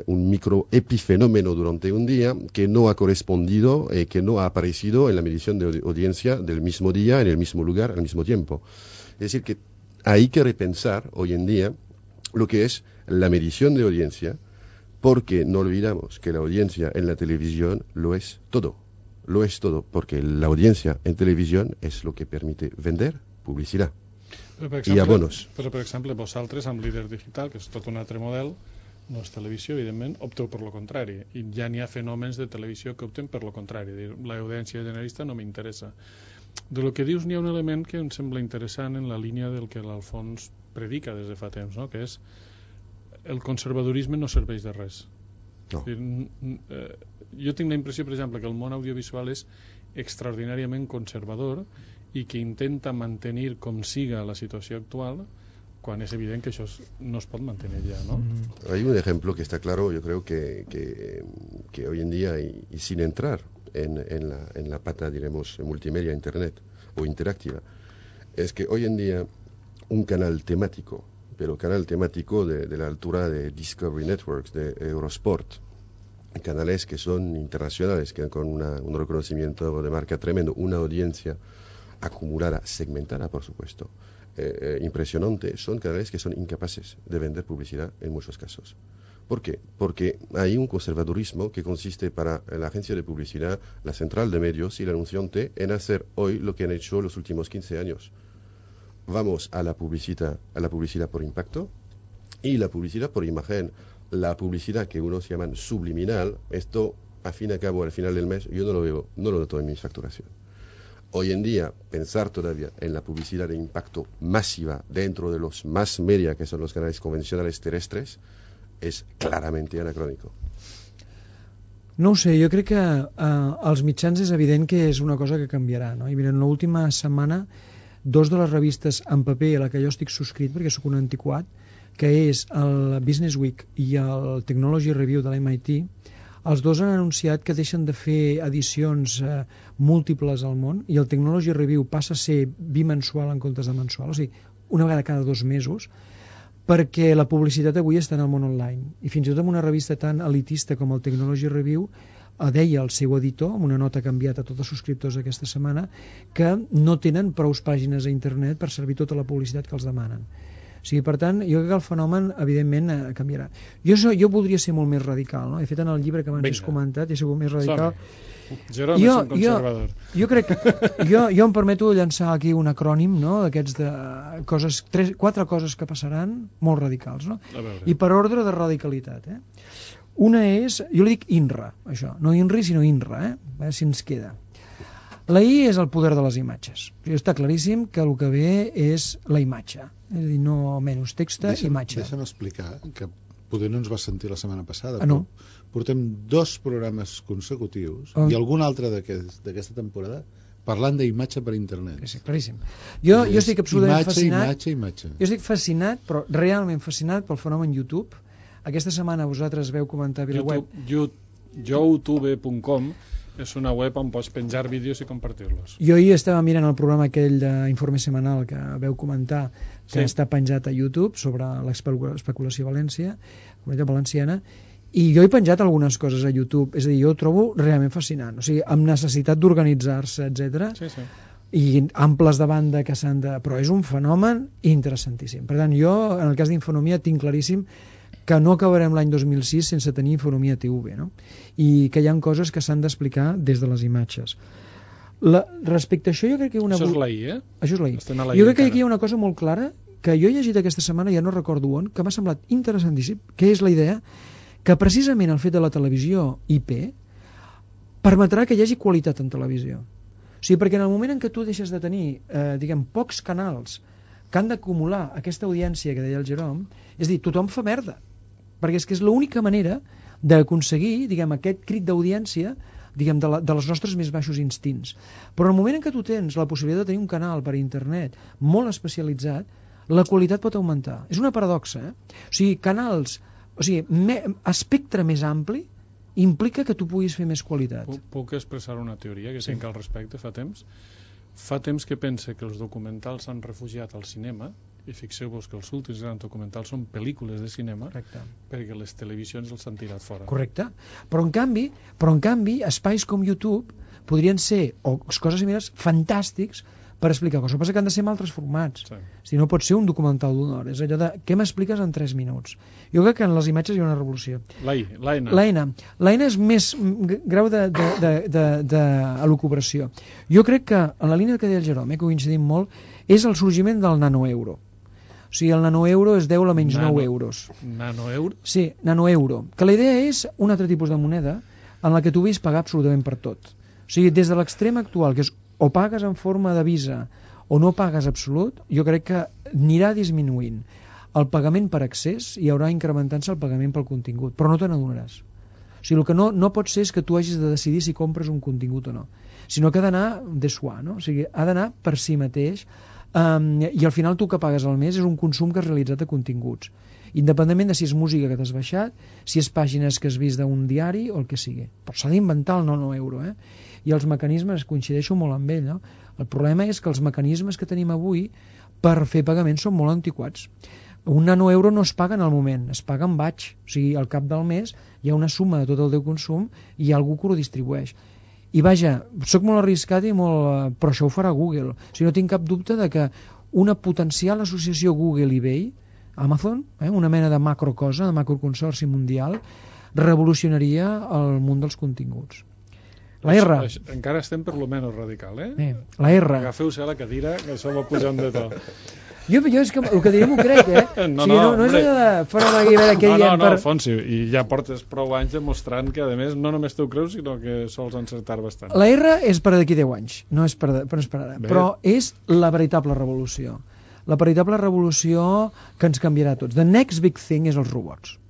un microepifenómeno durante un día que no ha correspondido, que no ha aparecido en la medición de audiencia del mismo día, en el mismo lugar, al mismo tiempo. Es decir, que hay que repensar hoy en día lo que es la medición de audiencia, porque no olvidamos que la audiencia en la televisión lo es todo. Lo es todo, porque la audiencia en televisión és el que permite vender publicitat i abonos. Però, per exemple, vosaltres, amb Líder Digital, que és tot un altre model, no és televisió, evidentment, opteu per lo contrari. I ja n'hi ha fenòmens de televisió que opten per lo contrari. L'audiència generalista no m'interessa. De lo que dius, n'hi ha un element que em sembla interessant en la línia del que l'Alfons predica des de fa temps, no? Que és el conservadorisme no serveix de res. No. Jo tinc la impressió, per exemple, que el món audiovisual és extraordinàriament conservador i que intenta mantenir com siga la situació actual quan és evident que això no es pot mantener ya, ¿no? Hay un ejemplo que está claro, yo creo que hoy en día, y sin entrar en la pata, diremos, multimedia, internet o interactiva, es que hoy en día un canal temático, pero canal temático de la altura de Discovery Networks, de Eurosport, canales que son internacionales, que con un reconocimiento de marca tremendo, una audiencia acumulada, segmentada, por supuesto, impresionante, son canales que son incapaces de vender publicidad en muchos casos. ¿Por qué? Porque hay un conservadurismo que consiste para la agencia de publicidad, la central de medios y el anunciante en hacer hoy lo que han hecho los últimos 15 años. Vamos a la publicidad por impacto y la publicidad por imagen. La publicidad que unos llaman subliminal, esto a fin y a cabo al final del mes yo no lo veo, no lo noto en mi facturación. Hoy en día pensar todavía en la publicidad de impacto masiva dentro de los mass media, que son los canales convencionales terrestres, és clarament anacrònico. No ho sé, jo crec que als mitjans és evident que és una cosa que canviarà, no? I mira, en l'última setmana, dos de les revistes en paper a la que jo estic subscrit, perquè sóc un antiquat, que és el Business Week i el Technology Review de l'MIT, els dos han anunciat que deixen de fer edicions múltiples al món i el Technology Review passa a ser bimensual en comptes de mensual, o sigui, una vegada cada 2 mesos, perquè la publicitat avui està en el món online. I fins i tot en una revista tan elitista com el Technology Review deia el seu editor, amb una nota que ha enviat a tots els subscriptors aquesta setmana, que no tenen prous pàgines a internet per servir tota la publicitat que els demanen. O sigui, per tant, jo crec que el fenomen, evidentment, canviarà. Jo voldria ser molt més radical, no? He fet en el llibre que abans has comentat, he sigut més radical. Jerome és un conservador. Jo crec que jo em permeto llançar aquí un acrònim, no?, d'aquests de coses, 4 coses que passaran molt radicals, no? I per ordre de radicalitat, Una és, jo li dic INRA, això, no INRI sinó INRA, a veure si ens queda. La I és el poder de les imatges. Està claríssim que el que ve és la imatge, és a dir, no menys text, imatge. Deixa'm explicar que poder no ens va sentir la setmana passada, no. Portem 2 programes consecutius i algun altre d'aquesta temporada parlant d'imatge per internet. Sí, claríssim. Jo estic absolutament fascinat. Imatge. Jo estic fascinat, però realment fascinat pel fenomen YouTube. Aquesta setmana vosaltres veu comentar a la web. youtube.com és una web on pots penjar vídeos i compartir-los. Jo ahir estava mirant el programa aquell d'informe setmanal que veu comentar, que està penjat a YouTube sobre l'especulació valenciana, i jo he penjat algunes coses a YouTube, és a dir, jo ho trobo realment fascinant, o sigui, amb necessitat d'organitzar-se, etc. Sí. I amples de banda que s'han de... Però és un fenomen interessantíssim. Per tant, jo, en el cas d'Infonomia, tinc claríssim que no acabarem l'any 2006 sense tenir Infonomia TV, no? I que hi ha coses que s'han d'explicar des de les imatges. Respecte a això, jo crec que Això és la I, Això és la I. Jo crec que aquí hi ha una cosa molt clara que jo he llegit aquesta setmana, ja no recordo on, que m'ha semblat interessantíssim, que és la idea que precisament el fet de la televisió IP permetrà que hi hagi qualitat en televisió. O sigui, perquè en el moment en què tu deixes de tenir, pocs canals que han d'acumular aquesta audiència que deia el Jerome, és a dir, tothom fa merda, perquè és que és l'única manera d'aconseguir, aquest crit d'audiència, de les nostres més baixos instints. Però en el moment en què tu tens la possibilitat de tenir un canal per internet molt especialitzat, la qualitat pot augmentar. És una paradoxa, O sigui, canals, espectre més ampli implica que tu puguis fer més qualitat. Puc expressar una teoria que tinc al respecte fa temps? fa temps que pense que els documentals s'han refugiat al cinema, i fixeu-vos que els últims grans documentals són pel·lícules de cinema. Correcte. Perquè les televisions els han tirat fora. Correcte. Però en canvi, espais com YouTube podrien ser, o coses similars, fantàstics per explicar coses. El que passa que han de ser en altres formats. Sí. Si no pot ser un documental d'una hora. És allò de, què m'expliques en 3 minuts? Jo crec que en les imatges hi ha una revolució. L'eina és més grau d'elucubració. Jo crec que, en la línia que deia el Jerome, que coincidim molt, és el sorgiment del nanoeuro. O sigui, el nanoeuro es deu a menys 9 euros. Nanoeuro? Sí, nanoeuro. Que la idea és un altre tipus de moneda en la que tu puguis pagar absolutament per tot. O sigui, des de l'extrem actual, que és o pagues en forma de Visa o no pagues absolut, jo crec que anirà disminuint el pagament per accés i haurà incrementant-se el pagament pel contingut, però no te n'adonaràs. O sigui, el que no pot ser és que tu hagis de decidir si compres un contingut o no, sinó que ha d'anar de soi, no? O sigui, ha d'anar per si mateix, i al final tu que pagues al mes és un consum que has realitzat de continguts, independentment de si és música que t'has baixat, si és pàgines que has vist d'un diari o el que sigui. Però s'ha d'inventar el nanoeuro, i els mecanismes, coincideixo molt amb ell, no? El problema és que els mecanismes que tenim avui per fer pagaments són molt antiquats. Un nanoeuro no es paga en el moment, es paga en batch, o sigui, al cap del mes hi ha una suma de tot el teu consum i hi ha algú que ho distribueix. I vaja, sóc molt arriscat però això ho farà Google. O sigui, no tinc cap dubte de que una potencial associació Google-eBay, Amazon, una mena de macrocosa, de macroconsorci mundial, revolucionaria el món dels continguts. La R. Encara estem per lo menys radical, La R. Agafeu-se a la cadira, que això va pujant de to. Jo és que el que diré m'ho crec, No, no és allò de fora de guivera que diem per... No, Fonsi, i ja portes prou anys demostrant que, a més, no només t'ho creus, sinó que sols encertar bastant. La R és per d'aquí 10 anys, no és per ara, però és la veritable revolució. La veritable revolució que ens canviarà a tots. The next big thing és els robots.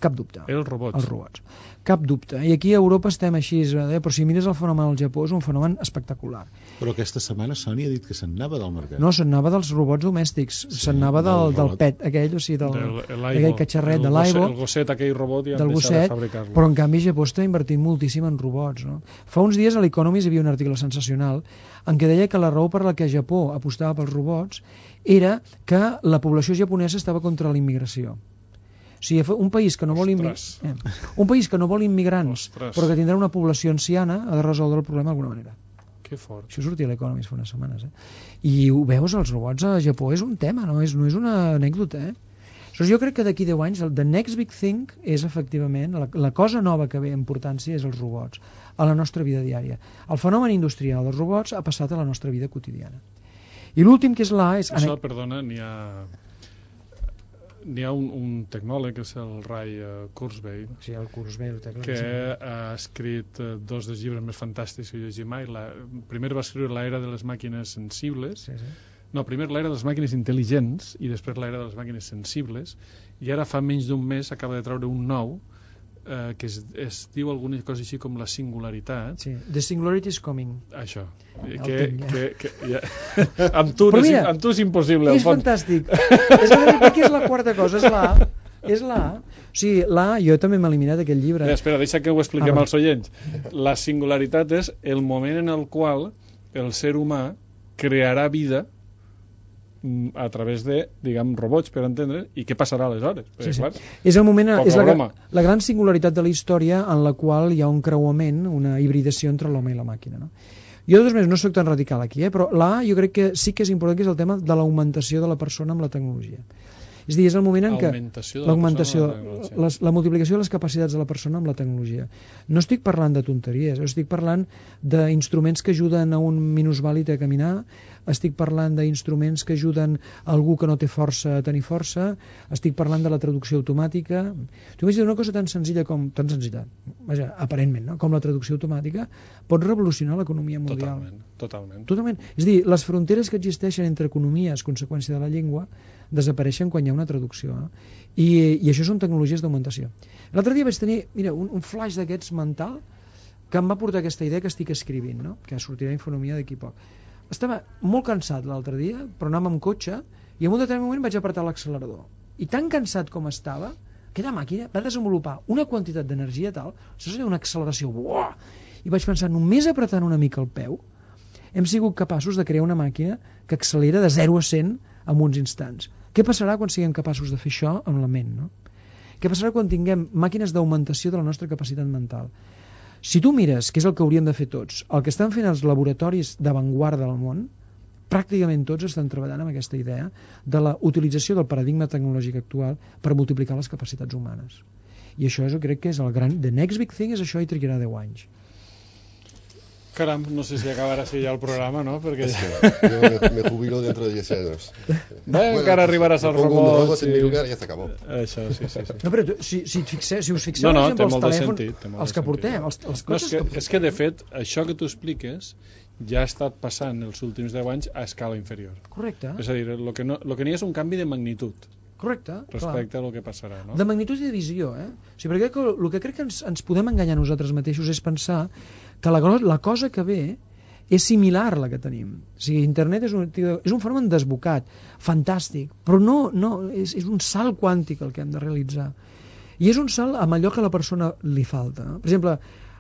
Cap dubte. Els robots. Cap dubte. I aquí a Europa estem així, però si mires el fenomen al Japó és un fenomen espectacular. Però aquesta setmana Sony ha dit que se'n anava del mercat. No, se'n anava dels robots domèstics, se'n anava del pet, aquell, o sigui, aquell catxarret de l'Aibo, el gosset, aquell robot, ja han deixat de fabricar-lo. Però en canvi Japó està invertint moltíssim en robots, no? Fa uns dies a l'Economist hi havia un article sensacional en què deia que la raó per la que Japó apostava pels robots era que la població japonesa estava contra la immigració. O sigui, un país que no vol immigrants, però que tindrà una població anciana, ha de resoldre el problema d'alguna manera. Que fort. Això sortia a l'Economist fa unes setmanes. I ho veus, els robots a Japó és un tema, no és una anècdota. Jo crec que d'aquí 10 anys, the next big thing és efectivament, la cosa nova que ve en importància és els robots a la nostra vida diària. El fenomen industrial dels robots ha passat a la nostra vida quotidiana. I l'últim, que és l'A... Això, perdona, n'hi ha un tecnòleg, que és el Ray Kurzweil, sí, el Kurzweil, que ha escrit 2 dels llibres més fantàstics que he llegit mai. Primer va escriure l'era de les màquines sensibles, no, primer l'era de les màquines intel·ligents i després l'era de les màquines sensibles, i ara fa menys d'un mes acaba de treure un nou que es diu alguna cosa així com la singularitat. Sí, the singularity is coming. Això. Amb tu és impossible. És fantàstic. Aquí és la quarta cosa, és l'A. O sigui, l'A, jo també m'he eliminat aquest llibre. Espera, deixa que ho expliquem als oients. La singularitat és el moment en el qual el ser humà crearà vida a través de, diguem, robots, per entendre, i què passarà aleshores? Sí. Clar, és el moment, és la gran singularitat de la història en la qual hi ha un creuament, una hibridació entre l'home i la màquina, no? Jo, de totes maneres, no soc tan radical aquí, però l'A jo crec que sí que és important, que és el tema de l'augmentació de la persona amb la tecnologia. És a dir, és el moment en què la multiplicació de les capacitats de la persona amb la tecnologia. No estic parlant de tonteries, estic parlant d'instruments que ajuden a un minusvàlid a caminar, estic parlant d'instruments que ajuden a algú que no té força a tenir força, estic parlant de la traducció automàtica. Tu m'has dit una cosa tan senzilla, vaja, aparentment, no? Com la traducció automàtica pot revolucionar l'economia mundial. Totalment. És a dir, les fronteres que existeixen entre economies, conseqüència de la llengua, desapareixen quan hi ha una traducció. I això són tecnologies d'augmentació. L'altre dia vaig tenir un flash d'aquests mental que em va portar aquesta idea que estic escrivint, no? Que sortirà Infonomia d'aquí poc. Estava molt cansat l'altre dia, però anàvem amb cotxe, i en un determinat moment vaig apretar l'accelerador. I tan cansat com estava, aquella màquina va desenvolupar una quantitat d'energia tal, això seria una acceleració, buah! I vaig pensar, només apretant una mica el peu, hem sigut capaços de crear una màquina que accelera de 0 a 100 en uns instants. Què passarà quan siguem capaços de fer això amb la ment, no? Què passarà quan tinguem màquines d'augmentació de la nostra capacitat mental? Si tu mires, que és el que hauríem de fer tots, el que estan fent els laboratoris d'avantguarda del món, pràcticament tots estan treballant amb aquesta idea de la utilització del paradigma tecnològic actual per multiplicar les capacitats humanes. I això jo crec que és el gran... The next big thing és això i trigarà 10 anys. Caram, no sé si acabarà així ja el programa, no? Perquè yo me jubilo dentro de 10 años. Bueno, encara arribaràs als robots. En mi lugar y ya se acabó. Això, sí. No, però si us fixeu, No, per exemple, té els molt de telèfons, sentit, té molt els de que portem, sentit. els No, cotxes és que de fet, això que tu expliques ja ha estat passant els últims 10 anys a escala inferior. Correcte, És a dir, el que n'hi ha és un canvi de magnitud correcte. respecte a lo que passarà, no? De magnitud i de visió, eh? O sigui, perquè el que crec que ens podem enganyar nosaltres mateixos és pensar que la cosa que ve és similar a la que tenim. O sigui, internet és un fenomen desbocat, fantàstic, però és un salt quàntic el que hem de realitzar. I és un salt amb allò que a la persona li falta. No? Per exemple,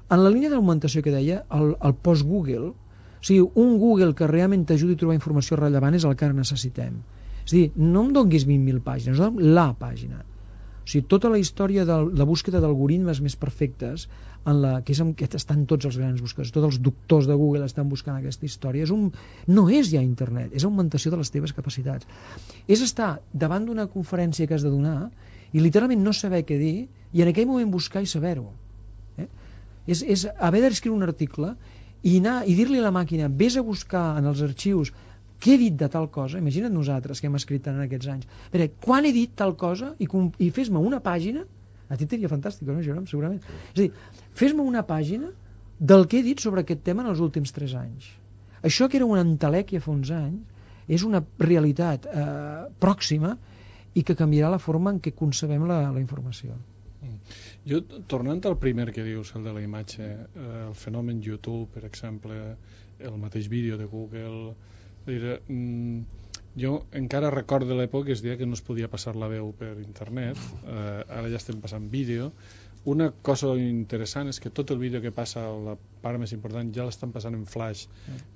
en la línia d'augmentació que deia, el post-Google, o sigui, un Google que realment t'ajudi a trobar informació rellevant és el que ara necessitem. És a dir, no em donguis 20.000 pàgines, no la pàgina. O sigui, tota la història de la búsqueda d'algoritmes més perfectes, que estan tots els grans buscadors, tots els doctors de Google estan buscant aquesta història, no és ja internet, és augmentació de les teves capacitats. És estar davant d'una conferència que has de donar i literalment no saber què dir i en aquell moment buscar i saber-ho. És haver d'escriure un article i dir-li a la màquina, vés a buscar en els arxius què he dit de tal cosa, imagina't nosaltres que hem escrit tant en aquests anys, quan he dit tal cosa i fes-me una pàgina, a ti t'aria fantàstic, no, Jerome, segurament. És a dir, fes-me una pàgina del que he dit sobre aquest tema en els últims 3 anys. Això que era una entelèquia fa uns anys és una realitat pròxima i que canviarà la forma en què concebem la informació. Jo, tornant al primer que dius, el de la imatge, el fenomen YouTube, per exemple, el mateix vídeo de Google, jo encara recordo l'època que es deia que no es podia passar la veu per internet, ara ja estem passant vídeo. Una cosa interessant és que tot el vídeo que passa, la part més important, ja l'estan passant en flash,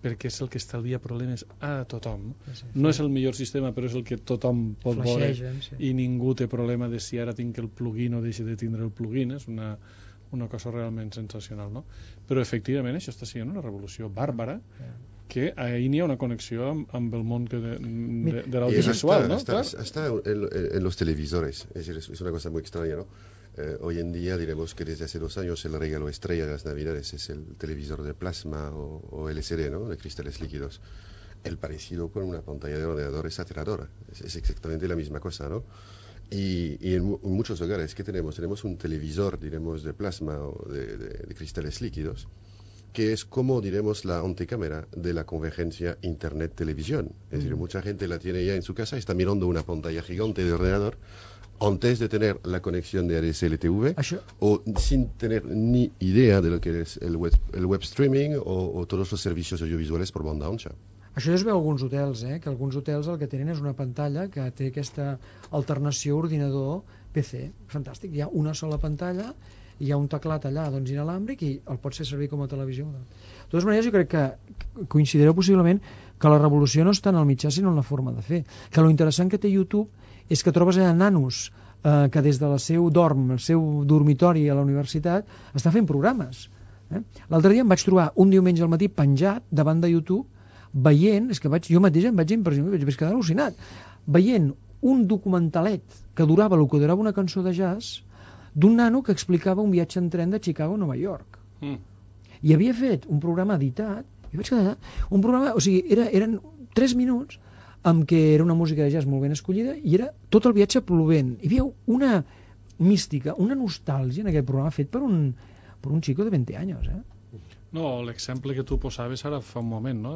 perquè és el que estalvia problemes a tothom. No és el millor sistema, però és el que tothom pot veure i ningú té problema de si ara tinc el plugin o deixi de tindre el plugin. És una cosa realment sensacional, no? Però efectivament això està sent una revolució bàrbara, que ahí n'hi ha una connexió amb el món de l'audiovisual, ¿no? Hasta en los televisores, es una cosa muy extraña, ¿no? Hoy en día diremos que desde hace 2 años el regalo estrella de las Navidades es el televisor de plasma o LCD, ¿no? De cristales líquidos. El parecido con una pantalla de ordenador es aterradora, es exactamente la misma cosa, ¿no? Y en muchos hogares, ¿qué tenemos? Tenemos un televisor, diremos, de plasma o de cristales líquidos, que es como, diremos, la antecámara de la convergencia Internet-televisión. Es decir, mucha gente la tiene ya en su casa, está mirando una pantalla gigante de ordenador antes de tener la conexión de ADSL-TV o sin tener ni idea de lo que es el web streaming o todos los servicios audiovisuales por banda ancha. Això ja es veu a alguns hotels, que alguns hotels el que tenen és una pantalla que té aquesta alternació ordinador-PC. Fantàstic, hi ha una sola pantalla, hi ha un teclat allà inalàmbric i el pots fer servir com a televisió. De totes maneres, jo crec que coincidireu possiblement que la revolució no està en el mitjà sinó en la forma de fer. Que lo interessant que té YouTube és que trobes allà nanos que des del seu el seu dormitori a la universitat està fent programes. L'altre dia em vaig trobar un diumenge al matí penjat davant de YouTube veient, és que jo mateix em vaig impressionar, vaig quedar al·lucinat, veient un documentalet que durava el que durava una cançó de jazz d'un nano que explicava un viatge en tren de Chicago a Nova York. I havia fet un programa editat, i vaig quedar un programa, o sigui, eren 3 minuts amb què era una música de jazz molt ben escollida i era tot el viatge plovent. Hi havia una mística, una nostàlgia en aquest programa fet per un xico de 20 anys, No, l'exemple que tu posaves ara fa un moment, no?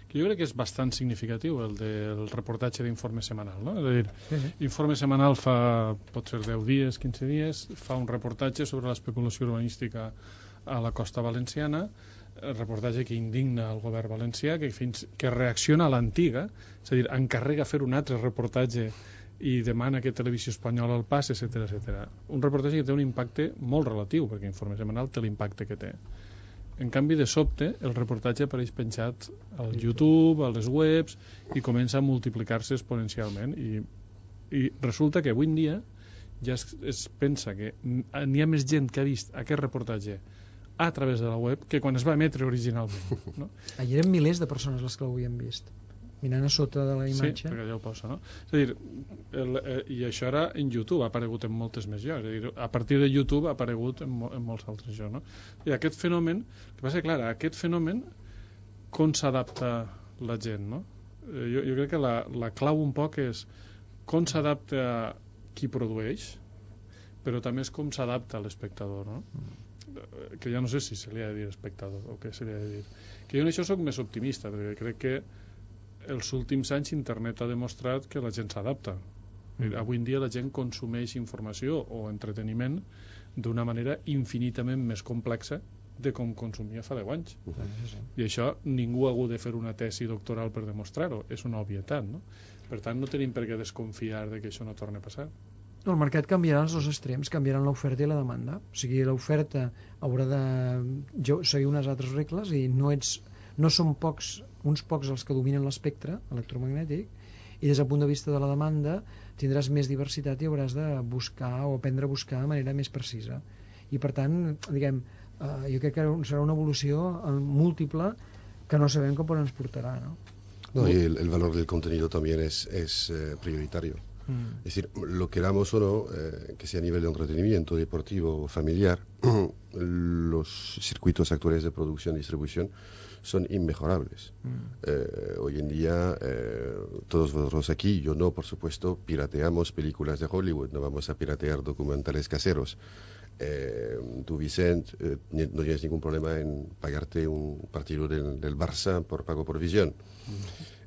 Que jo crec que és bastant significatiu, el del reportatge d'informe setmanal, no? És a dir, Informe setmanal fa, pot ser 10 dies, 15 dies, fa un reportatge sobre l'especulació urbanística a la costa valenciana, reportatge que indigna el govern valencià, que reacciona a l'antiga, és a dir, encarrega fer un altre reportatge i demana que Televisió Espanyola el passi, etc. Un reportatge que té un impacte molt relatiu, perquè Informe Setmanal té l'impacte que té. En canvi, de sobte, el reportatge apareix penjat al YouTube, a les webs, i comença a multiplicar-se exponencialment. I resulta que avui en dia ja es pensa que n'hi ha més gent que ha vist aquest reportatge a través de la web que quan es va emetre originalment. No? Ahir eren milers de persones les que l'havien vist, mirant a sota de la imatge. Sí, perquè allà ho posa, no? És a dir, i això ara en YouTube ha aparegut en moltes més llocs. És a dir, a partir de YouTube ha aparegut en molts altres llocs, no? I aquest fenomen, el que passa, clar, aquest fenomen, com s'adapta la gent, no? Jo crec que la clau un poc és com s'adapta qui produeix, però també és com s'adapta l'espectador, no? Que ja no sé si se li ha de dir espectador o què se li ha de dir. Que jo en això soc més optimista, perquè crec que els últims anys internet ha demostrat que la gent s'adapta. Avui en dia la gent consumeix informació o entreteniment d'una manera infinitament més complexa de com consumia fa 10 anys. I això ningú ha hagut de fer una tesi doctoral per demostrar-ho. És una obvietat, no? Per tant, no tenim per què desconfiar de que això no torni a passar. No, el mercat canviarà els dos extrems, canviaran l'oferta i la demanda. O sigui, l'oferta haurà de seguir unes altres regles i no són uns pocs els que dominen l'espectre electromagnètic, i des del punt de vista de la demanda tindràs més diversitat i hauràs de buscar o aprendre a buscar de manera més precisa. I per tant, diguem, jo crec que serà una evolució múltiple que no sabem com ens portarà, ¿no? No, y el valor del contenido también es prioritario. Es decir, lo queramos o no, que sea a nivel de entretenimiento, deportivo o familiar, los circuitos actuales de producción y distribución son inmejorables. Hoy en día, todos vosotros aquí, yo no, por supuesto, pirateamos películas de Hollywood, no vamos a piratear documentales caseros. Tú, Vicent, no tienes ningún problema en pagarte un partido del Barça por pago por visión.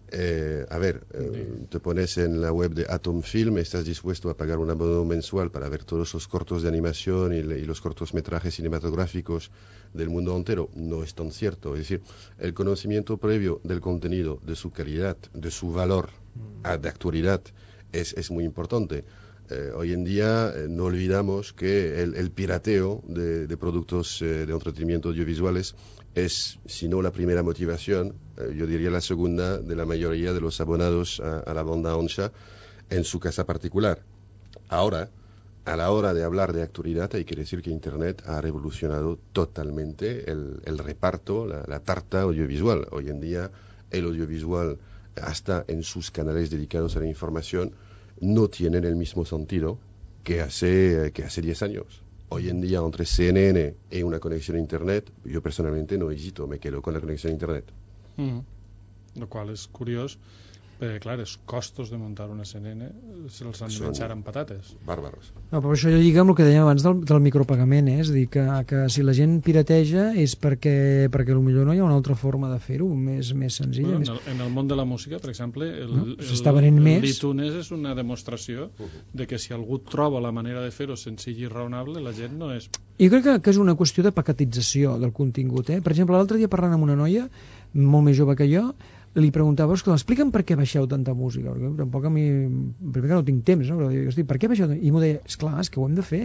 Te pones en la web de Atom Film, estás dispuesto a pagar un abono mensual para ver todos los cortos de animación y los cortometrajes cinematográficos del mundo entero. No es tan cierto. Es decir, el conocimiento previo del contenido, de su calidad, de su valor de actualidad es muy importante. Hoy en día no olvidamos que el pirateo de productos de entretenimiento audiovisuales es, si no la primera motivación, yo diría la segunda de la mayoría de los abonados a la banda ancha en su casa particular. Ahora, a la hora de hablar de actualidad, hay que decir que Internet ha revolucionado totalmente el reparto, la tarta audiovisual. Hoy en día el audiovisual, hasta en sus canales dedicados a la información, no tienen el mismo sentido que hace 10 años. Hoy en día, entre CNN y una conexión a Internet, yo personalmente no hesito, me quedo con la conexión a Internet. Lo cual és curiós, perquè, clar, els costos de muntar una CNN se'ls han de menjar amb patates. Bàrbaros. No, però això jo lliga amb el que dèiem abans del micropagament, és a dir, que si la gent pirateja és perquè potser no hi ha una altra forma de fer-ho, més senzilla. Bueno, en el món de la música, per exemple, l'iTunes és una demostració de que si algú troba la manera de fer-ho senzill i raonable, la gent no és... Jo crec que és una qüestió de paquetització del contingut. Per exemple, l'altre dia parlant amb una noia molt més jove que jo, li preguntava, explica'm per què baixeu tanta música, perquè tampoc a mi, primer que no tinc temps, no? Però dic, per què baixeu? I m'ho deia, esclar, és que ho hem de fer.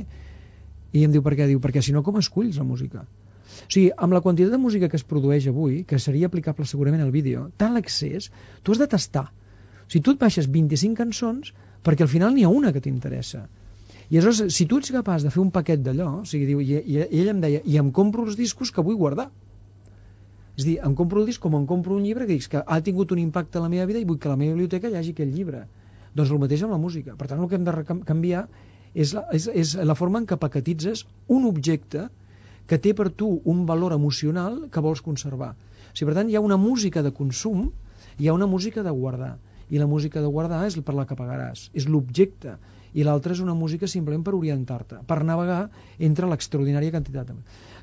I em diu, per què? Diu, perquè si no, com esculls la música? O sigui, amb la quantitat de música que es produeix avui, que seria aplicable segurament al vídeo, tant l'accés, tu has de tastar. O sigui, tu et baixes 25 cançons perquè al final n'hi ha una que t'interessa. I aleshores, si tu ets capaç de fer un paquet d'allò, o sigui, diu, i ell em deia, i em compro els discos que vull guardar. És a dir, em compro el disc com em compro un llibre que dic que ha tingut un impacte a la meva vida i vull que a la meva biblioteca hi hagi aquell llibre. Doncs el mateix amb la música. Per tant, el que hem de canviar és la forma en què paquetitzes un objecte que té per tu un valor emocional que vols conservar. O sigui, per tant, hi ha una música de consum, hi ha una música de guardar. I la música de guardar és per la que pagaràs. És l'objecte. I l'altra és una música simplement per orientar-te, per navegar entre l'extraordinària quantitat.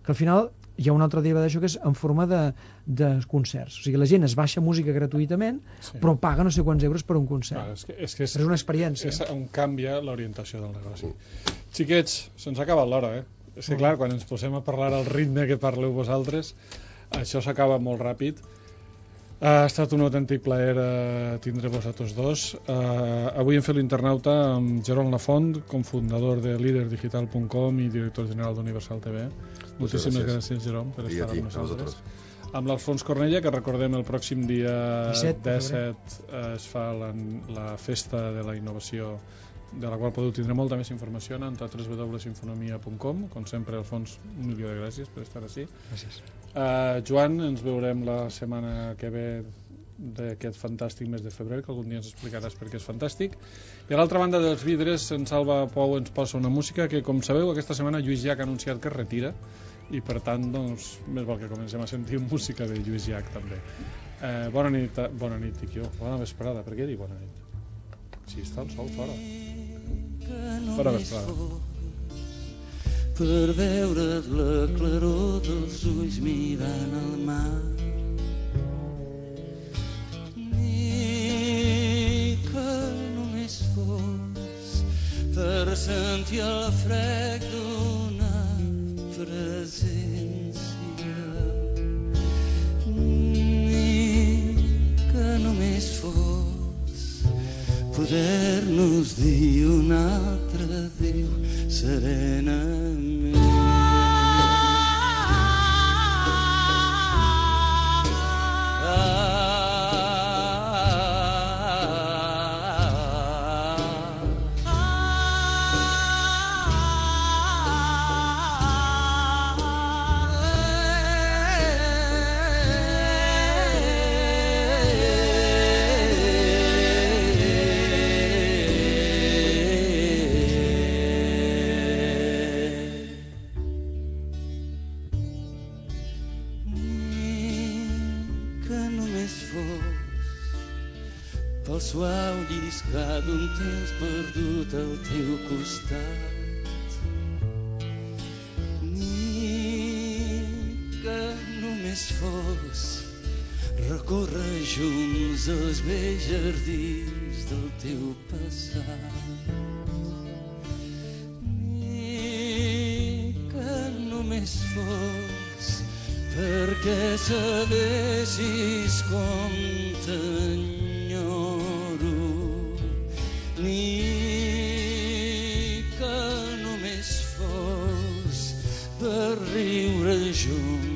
Que al final hi ha una altra deriva d'això que és en forma de concerts. O sigui, la gent es baixa música gratuïtament, sí, però paga no sé quants euros per un concert. És que és una experiència. És on canvia l'orientació del negoci. Xiquets, se'ns ha acabat l'hora, És que clar, quan ens posem a parlar al ritme que parleu vosaltres, això s'acaba molt ràpid. Ha estat un autèntic plaer tindre-vos a tots dos. Avui hem fet l'internauta amb Jerome Lafont, cofundador de LeaderDigital.com i director general d'Universal TV. Moltíssimes gràcies, Jerome, per estar amb nosaltres. Amb l'Alfons Cornella, que recordem el pròxim dia 17 es fa la festa de la innovació, de la qual podeu tindre molta més informació en www.infonomia.com. Com sempre, Alfons, un milió de gràcies per estar així. Gràcies. Joan, ens veurem la setmana que ve d'aquest fantàstic mes de febrer, que algun dia ens explicaràs per què és fantàstic. I a l'altra banda dels vidres, en Salva Pou ens posa una música que, com sabeu, aquesta setmana Lluís Llach ha anunciat que es retira, i per tant, doncs, més val que comencem a sentir música de Lluís Llach també. Bona nit, dic jo. Bona vesprada. Per què dic bona nit? Si està el sol fora. Bona vesprada. Per veure't la claror dels ulls mirant el mar. Ni que només fos per sentir el frec d'una presència. Ni que només fos poder-nos dir un altre adéu serenament. Pel suau lliscar d'un temps perdut al teu costat. Ni que només fos recórrer junts els vells jardins del teu passat. Ni que només fos perquè sabessis com t'enyoro. Ni que només fos per riure junts